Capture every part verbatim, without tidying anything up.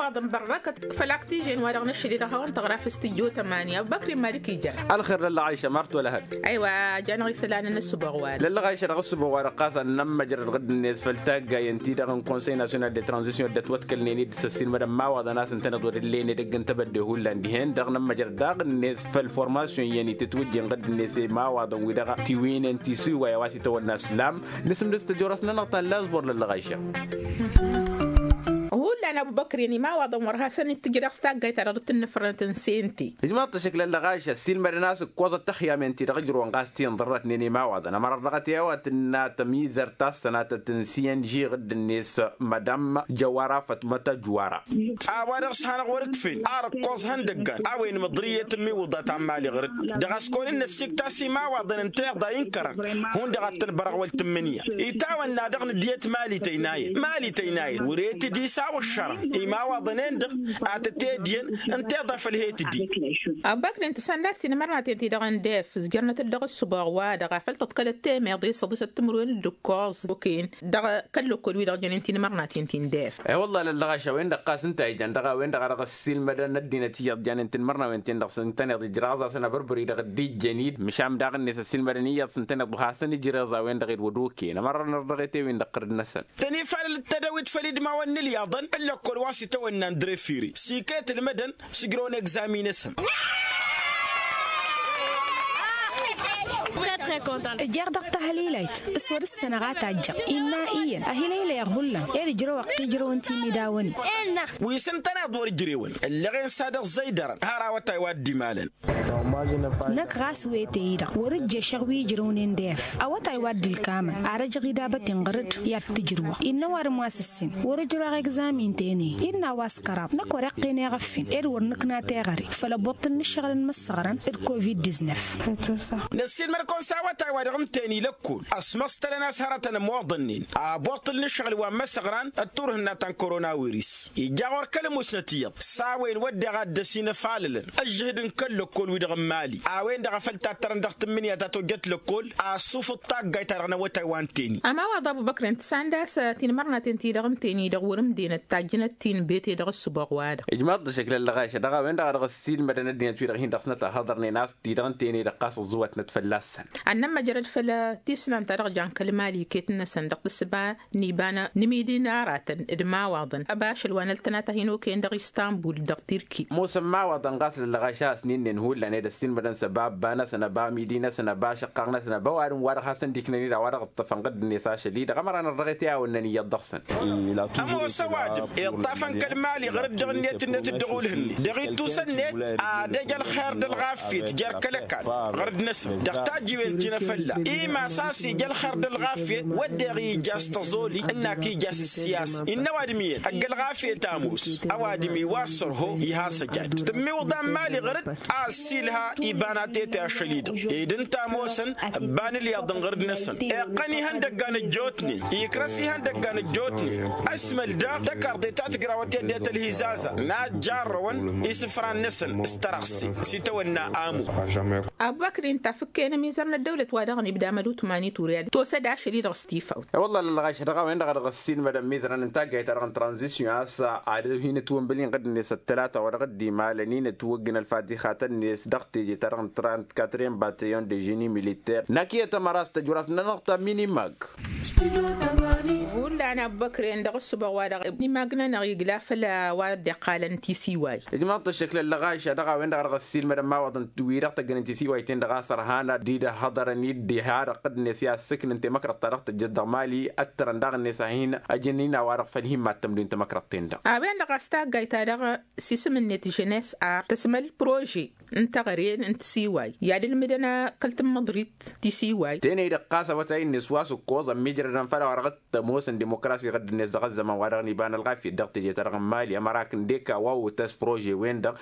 Ăḍnbărrăkăt făl-ak tijen wa-dăɣ năššăl-i-dăɣ hawăn-tăɣra făll-s tijjot ămani ăbubăkri n-malik ija. Ălxer lăllăɣ aisa mărto lăhăt. Aywa a janeɣ isălan n-ăssǝboɣ-wa-dăɣ. Lăllăɣ aisa dăɣ-ăssǝboɣ-wa-dăɣ ɣas ad-nămmăjrăd ɣǝdd-net făll-taggayen-ti-dăɣ n-konsăy nasyonal de tranzisyon dd-ătwăḍkălnen-dd s-ăssiilmădăn imawaḍăn a-s ǝntăneḍ wăr-ǝllen edăgg n-tebădde hullan dihen-dăɣ nămmăjrăd daɣ-net făll-formasyon iyyăn itǝtwǝjjen ɣǝdd-net i-imawaḍăn-wi-dăɣ tiwǝynen tisiway a-wa s-itawănna s-lam. Nǝsǝmdǝs tăjorăs-nănăɣ ta n-lazbor lăllăɣ aisa. Hullan ăbubăkri n-imawaḍăn wăr hasăn-dd-tǝjreɣ s-taggayt-ta-dăɣ dd-tǝnnǝfrănăt n-sente. Ǝjmaḍ-t ašăk lăllăɣ ašăl silmădăn a-s ǝkkoẓăt taxyamen-ti-dăɣ ǝjrăwăn ɣas ti ǝnḍărrătnen imawaḍăn ămăra ărrăɣăt i-a-wa tǝnna tămizărt ta s-sănatăt n-siyăn žiɣ dd-net mădam jăwara fătmăt ăjwara. A-wa-dăɣ s-hanăɣ wăr-ǝkfen ar ǝkkoẓ ihăndăggan a-wen măḍrǝyet n-imiwǝḍa ta n-mali ɣăr-dd dăɣ-a-s kăwăn-dd-năssikt a-s imawaḍăn ǝnta iḍa inkărăn. Hundăɣ ad-tăn-bărăɣ wăl tǝmmǝnǝya itawănna dăɣ-nǝddiyăt mali tăynayăt mali tăynayăt wăr-e-tǝddi s-a-wa ǝššărăn imawaḍăn-en-dăɣ. Ad-tăt-edyăn ǝnta iḍa făl he-tǝddi. Ăbubăkri n-tǝsăndas tinmărnaten-ti-dăɣ n-def ǝzjărnăt-dd dăɣ-ăssǝboɣ-wa-dăɣ a făl tăḍkălăt temeḍe s-ăḍisăt timǝrwen d-ǝkkoẓ okăyăn dăɣ-kăl-lăkkol-wi-dăɣ jănen tinmărnaten-ti n-def. E-wălla lăllăɣ ašăl a-wen-dăɣ ɣas ǝnta a ijăn dăɣ-a-wen-dăɣ a dăɣ-ăssiilmădăn ăddinăt iyyăḍ janen tinmărnawen-ten-dăɣ s-ǝntăneḍ ijraẓ-asăn abărbări-dăɣ dd-ijjăn-dd măšan daɣ-net ăssiilmădăn iyyăḍ s-ǝntăneḍ wa hasăn-ijreẓ a-wen-dăɣ edwăd okăyăn ămărrăn ărdăɣet i-win-dăɣ tărǝd-năsăn. Tăn-ifalăl d-tadăwit făll-idmawen n-ǝlyaḍăn n-lăkkol wa s-itawănna n-drefiri s-iket ǝlmădăn s-ǝjrăwăn egzamin-năsăn. Ǝjjeɣ dăɣ-tahălilayt s-wăr ǝssănăɣ a tajjăɣ innă iyyăn ăhilaylăyăɣ hullan ed ǝjrăwăɣ t-ijrăwăn timidawăn-i. Wi s-ǝntăneḍ wăr ǝjrewăn ǝllăɣen s-ad-ăẓẓăydărăn har awătay wa dd-imalăn. Năkk ɣas wete-i-dăɣ wăr-ǝjješăɣ wi ǝjrăwnen d-ef awătay wa dd-ǝlkamăn ar ăjăɣ idabăten ɣăr-dd i-ad-t-ǝjrǝwăɣ innă ăwadǝm wa s-ǝssin wăr-ǝjrăwăɣ egzamin-ten-i. Innă a-wa s-kăraḍ năkk wăr-iqqen eɣăffen ed wăr nǝkna teɣăre făll-ăbbuṭṭǝl n-ǝššăɣǝl n-imǝssăɣrăn d-covid-diznăf. Năssiilmăd-kăwăn s-awătay wa dăɣ-ǝntăyăn ila ăkkool ăsmăstălăn a-s hărătăn ămoḍănnen abuṭṭǝl n-ǝššăɣǝl wa n-imǝssăɣran d-turhǝnna ta n-koronawiris ija ɣur-kăl-ămusnăt iyyăḍ s-a-wen wădden a dd-ăsinăfalălăn ăžžǝhǝd n-kăl-lăkkol-wi-dăɣ n-imali a-wen-dăɣ a făl tattărăn dăɣ-tǝmmǝnǝya ta tojjăt lăkkol. Ăssufǝḍ taggayt-ta-dăɣ n-awătay wa n-teni. Ămawaḍ abubăkr ǝnta s-anda a-s tinmărnaten-ti-dăɣ n-teni-dăɣ wăr-ǝmdenăt tajjănăt-ti n-bete dăɣ-ăssǝboɣ-wa-dăɣ. Ijmaḍ-dd ăššăk lăllăɣ ašăl dăɣ-a-wen-dăɣ a dăɣ-ăssiilmădăn ăddinăt-wi-dăɣ hin-dăɣ-snăt a hăḍărnen a-s ti-dăɣ n-teni-dăɣ ɣas ăẓẓuwătnăt fălla-săn. Ad-nămmăjrăd făll-tisnant-ta-dăɣ jan kăl-mali iket-năsăn dăɣ-tǝssǝba n-iba n-imidi n-aratăn d-imawaḍăn ăba ašăl wa n-ăltănat a hin-okăyăn dăɣ-istanbul dăɣ-tirki. Ămoosăn imawaḍăn ɣas lăllăɣ ašăl a-s n-innăn hullan ed ăssiilmădăn s-ăba ăbba-năsăn ăba amidi-năsăn ăba ašăqqaɣ-năsăn ăba ăwadǝm wa dăɣ-hasăn-dd-iknăn-dd a-wa dăɣ-ǝṭṭăfăn ɣǝdd-net ašăl-i-dăɣ ămăra n-ărrăɣet i-a-wănnăn iyyăḍ dăɣ-săn. Ămoos ăwadǝm iṭṭafăn kăl-mali ɣăr-dd dăɣ-net-net dd-ăɣulhǝnnet dăɣ-ittusăn-net ad-ăj ălxer d-ălɣafyăt jer-kăl-ăkall ɣăr-dd-năsăn dăɣ-tajjiwen ti n-efălla. Imas a-s ija ălxer d-ălɣafyăt wădden ija s-tăẓoli ǝnn'-ak ija s-ǝssiyasăn innă ăwadǝm iyyăn ăgg-ălɣafyăt ămoos. Ăwadǝm iwar sărho iha săjad tǝmmiwǝḍa n-mali ɣăr-dd a ăssiilha iba n-atete ašăl-i-dăɣ ed ǝnta ămoosăn ǝbban ǝlyaḍăn ɣăr-dd-năsăn iqqăn ihăndăggan ăjjootnen ikrăs ihăndăggan ăjjootnen. Ăsmăl daɣ tăkarḍe ta tǝjrawăt i-ăddinăt ălhizaza n-ad-jarrăwăn isǝfran-năsăn s-tărăɣse s-itawănna amu. Abubăkri ǝnta a fǝkken ămizăr n-ăddăwlăt wa dăɣ-nibda mădutman i-turya tosăd ašăl-i-dăɣ s-tifawt. E-wălla lălɣaš dăɣ-a-wen-dăɣ a dăɣ-ăssiilmădăn mizărăn n-taggayt-ta-dăɣ n-tranzisyon a-s ad-hin-ătwănbăl-in ɣǝdd-net ăttălata wa dăɣ-dd-imalăn-in ătwăggǝn ălfatixatăn-net dăɣ-teje-ta-dăɣ n-trant-quatrième bataillon de génie militaire n-akǝyăt ămăra a-s tăjwăr-as-nănăɣ ta minimag. Hullan abubăkren dăɣ-ǝssǝboɣ wa dăɣ-minimag-nănăɣ igla făll-a-wa dd-iqqalăn tisiway. Ijmaḍ-t ăššăkla ǝllăɣaš a dăɣ-a-wen-dăɣ a dăɣ-ăssiilmădăn imawaḍăn wi-dăɣ tăggănen tisiwayten-dăɣ a-s ărhan ad-dd-dd-hăḍărăn-dd iha dăɣ-tăddǝnet i-ad-sǝknǝn temăkrăḍt ta dăɣ-tǝjjăt dăɣ-mali ăttărăn daɣ-net a hin-ăjăn-in a-wa-dăɣ făll-hin-mad-tămdǝwin temăkrăḍt-ten-dăɣ. A-wen-dăɣ a-s taggayt-ta-dăɣ s-isǝm-net žănes ar tăsmăl prože n-teɣăre n-tisiway i-ad-ǝlmǝdăn kăl-tǝmmǝḍrit tisiway. Tenăy-dăɣ ɣas awătay-net wa s-ǝkkoẓ ămmiijrădăn făll-a-wa dăɣ-tămoosăn dimokrasi ɣǝdd-net dăɣ-ăzzăman wa dăɣ-niba n-ălɣafyăt dăɣ-teje-ta-dăɣ n-mali ămăra kǝndek a-wa otăs prože-wen-dăɣ.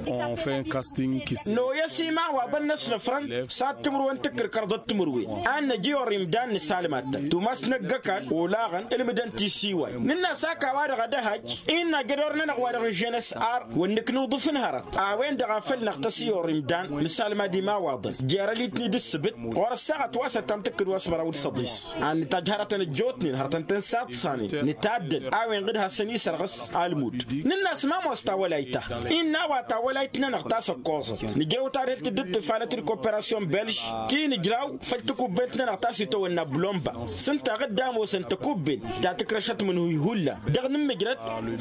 Onfen kastin kis. Noyăs imawaḍăn n-ăsnăfrăn s-ad-timǝrwen tǝkkǝrkărăḍ d-timǝrwen a n-năj i-orr imdan nǝsalmat-tăn tumas năgg-ăkall olaɣăn ǝlmǝdăn tisiway. Nǝnn'-as ak a-wa-dăɣ ad-ăhăjj innă ajădor-nănăɣ wa dăɣ-n žănăs ar wăr nǝknuḍǝf n-hărăt a-wen-dăɣ. Afăl năɣ tăsiyur imdan nǝsalmad imawaḍăn jer-ălitni d-ǝssǝbǝt ɣur-ăssaɣăt wa s-ăttam tǝkkǝd wa s-măraw d-săḍis. Ad-nǝtajj hărătăn ăjjootnen hărătăn tăn-saḍsanen nǝtaddăl a-wen ɣǝd hasăn-isărɣǝs almud. Nǝnn'-as ma ămoos tawălayt-ta innă a-wa tawălayt-nănăɣ ta s-ăkkoẓăt nǝjrăw tadhǝlt dd-ǝttifalăt d-koperasyon belž ti nǝjraw făll-tikubbelt-nănăɣ ta s-itawănna blomba s-ǝnta ɣǝdda ămoosăn tăkubbelt ta tǝkrăšăt mǝnhǝy hullan dăɣ-nǝmmǝjrăd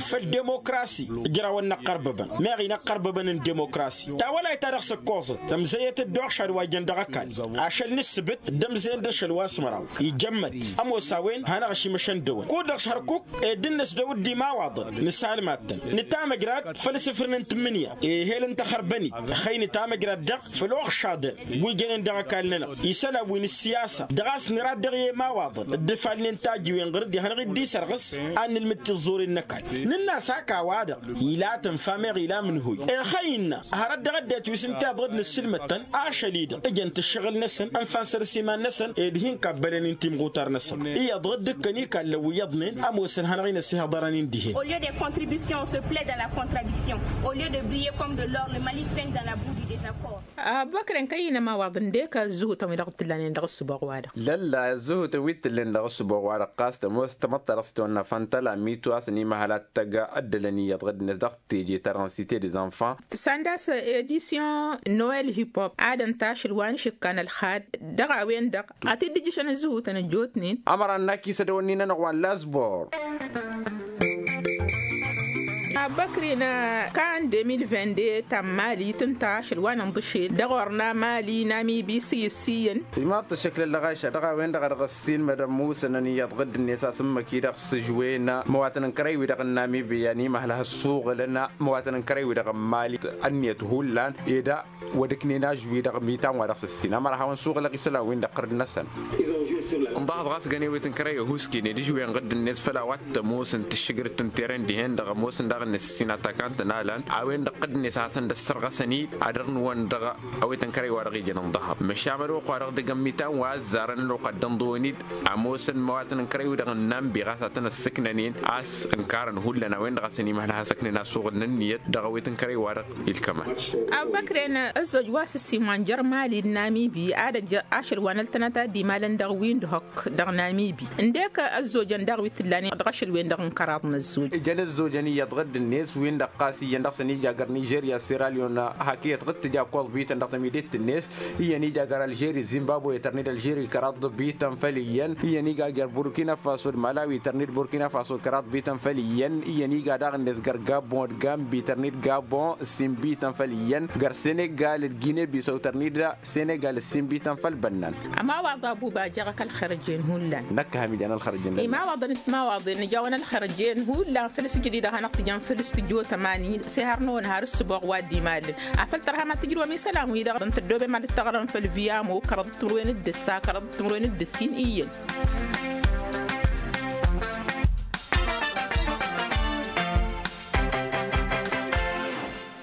făll-demokrasi. Ǝjrawăn n-ăqqărbăbăn meɣ inăqqărbăbăn n-demokrasi tawălayt-ta-dăɣ s-ǝkkoẓăt tămzăyăt-dd uɣšad wa jăn dăɣ-ăkall ašăl n-ǝssǝbǝt d-ămzăyăn d-ašăl wa s-măraw ijămmăt ămoos a-wen hanăɣ-ašimăšăn dăwăn kud-dăɣ s-hărkuk ed dd-năsdăw dd-imawaḍăn nǝsalmad-tăn nǝtamăjrad făll-asǝfrǝn n-tǝmmǝnǝya ehel n-taxărbănit ăxăy nǝtamăjrad daɣ făll-oɣšaḍăn wi jănen dăɣ-ăkall-nănăɣ isălan wi n-ǝssiyasa dăɣ-a-s nǝrad dăɣ-i emawaḍăn dd-ǝfalnen tajǝwen ɣur-dd i-hanăɣ-dd-isărɣǝs ad-nǝlmǝd tiẓẓuren n-ăkall. Nǝnn'-as hak a-wa-dăɣ ila tǝnfa meɣ ila amǝnhǝy ixăy innă hărăt dăɣ-ăddinăt wi s-ǝnta iyyăḍ dd-nǝssǝlmăd-tăn ašăl-i-dăɣ ǝjăn tǝššăɣǝl-năsăn ǝnfa n-săr s-iman-năsăn ed hin-kabbălăn-in timɣutar-năsăn iyyăḍ dd-ǝkkăn ikallăn wi iyyăḍnen ămoosăn hanăɣ-in-ăssihăḍărăn-in dihen. Au lieu des contributions on se plaît dans la contradiction. Au lieu de briller comme de l'or, le Mali traîne dans la boue du désaccord. Abubăkr-en kăyyăn ămawaḍăn d-ekăy ăzzǝhutăn wi dăɣ-t-ǝllanen dăɣ-ǝssǝboɣ-wa-dăɣ. Lălla ăzzǝhutăn wi t-ǝllen dăɣ-ǝssǝboɣ-wa-dăɣ ɣas tămoos tamăḍt ta dăɣ-s tăwănna făntăla mitu a-s ănimăhăl ad-t-ăgg ăddălăn iyyăḍ ɣǝddǝnet dăɣ-teje-ta-dăɣ n-site des enfants. Săndas edisyon noel hip-hop ad-ănta ašăl wa n-išǝkkan ălxad dăɣ-a-wen-dăɣ a t-dd-ǝjjǝšăn ǝzzǝhutăn ăjjootnen. Ămăra ănn-ak isădăwănni-nănăɣ wa n-lasbor. Abăkrin kan deux mille vingt-deux ta n-mali tǝnta ašăl wa n-inḍǝšel dăɣ-orna mali n-amibi s-iyǝssiyyăn. Imaḍ tǝššǝklăl dăɣ-ašăl dăɣ-a-wen-dăɣ a dăɣ-ăssiinmădăn musănăn iyyăḍ ɣǝdd-net a-s ǝmmǝk-i-dăɣ s-žwena măwatăn n-kărăy-wi-dăɣ n-amibi i-animăhăl hăssuɣǝlăn măwatăn n-kărăy-wi-dăɣ n-mali. Ǝnniyăt hullan ed a wăr ǝknen ažwi-dăɣ mitan wa dăɣ-s ǝssin ămăra a hawăn-suɣǝlăɣ isălan-win-dăɣ ɣǝrd-năsăn. Ǝnḍăhăḍ ɣas gănewet n-kărăy ăhuusken ed ǝžwen ɣǝdd-net făll-a-wa t-ămoosăn tǝššǝgrǝt n-teren dihen-dăɣ ămoosăn daɣ-net ǝssin atakant n-alăn a-wen-dăɣ ɣǝdd-net a hasăn-dd-ăssărɣăsăn-dd ad-dăɣ-nǝwăn dăɣ-awet n-kărăy wa dăɣ-ijăn ǝnḍăhăḍ măšan mădok wa dăɣ-dăgg-ămmitan wa ăzzarăn ălwăqq ad-dd-ănḍăwăn-dd. Ămoosăn măwatăn n-kărăy-wi-dăɣ ǝnnan bi ɣas ad-tăn-ăssǝknănen a-s ǝnkarăn hullan a-wen-dăɣ a-s ănimăhăl ad-has-ăknen assuɣǝl n-ǝnniyăt dăɣ-awet n-kărăy-wa-dăɣ ilkăman. Abubăkren ăzzoj wa s-ǝssin wa n-jer-mali d-namibi ad-ăj ašăl wa n-ăltănăt ad-imalăn dăɣ-windhok dăɣ-namibi ǝndek ăzzojăn daɣ wi t-ǝllanen dăɣ-ašăl-wen-dăɣ n-kăraḍ n-ăzzoj. Ǝjăn ăzzojăn iyyăḍ ɣǝdd-net win-dăɣ ɣas iyyăn dăɣ-săn ija găr nižerya siralyon hak iyyăt ɣǝd tǝja koẓ bităn dăɣ-tămidit-net iyyăn ija găr alžeri zimbabwe tărned alžeri kăraḍ bităn făll-iyyăn iyyăn iga găr burkina faso d-malawi tărned burkina faso kăraḍ bităn făll-iyyăn iyyăn iga daɣ-net găr gabon d-gambi tărned gabon ǝssin bităn făll-iyyăn găr senegal d-gine bisăw tărned senegal ǝssin bităn făll-bănnan. Ămawaḍ abuba jăɣ-ak ălxărăjen hullan. Năkk hamijan ălxărăjen. Imawaḍăn d-timawaḍen ǝjawăn ălxărăjen hullan făll-s jădid ad-hanăɣ-tǝjăn făll-s tǝjot ămani s-ehăr-năwăn har ǝssǝboɣ wa dd-imalăn. Afăl tărham ad-tǝjrǝwăm isălan-wi-dăɣ dăɣ-tăddobem ad-dd-tăɣrăm făll-viamo kăraḍ d-timǝrwen d-ǝssa kăraḍ d-timǝrwen d-ǝssin iyyăn.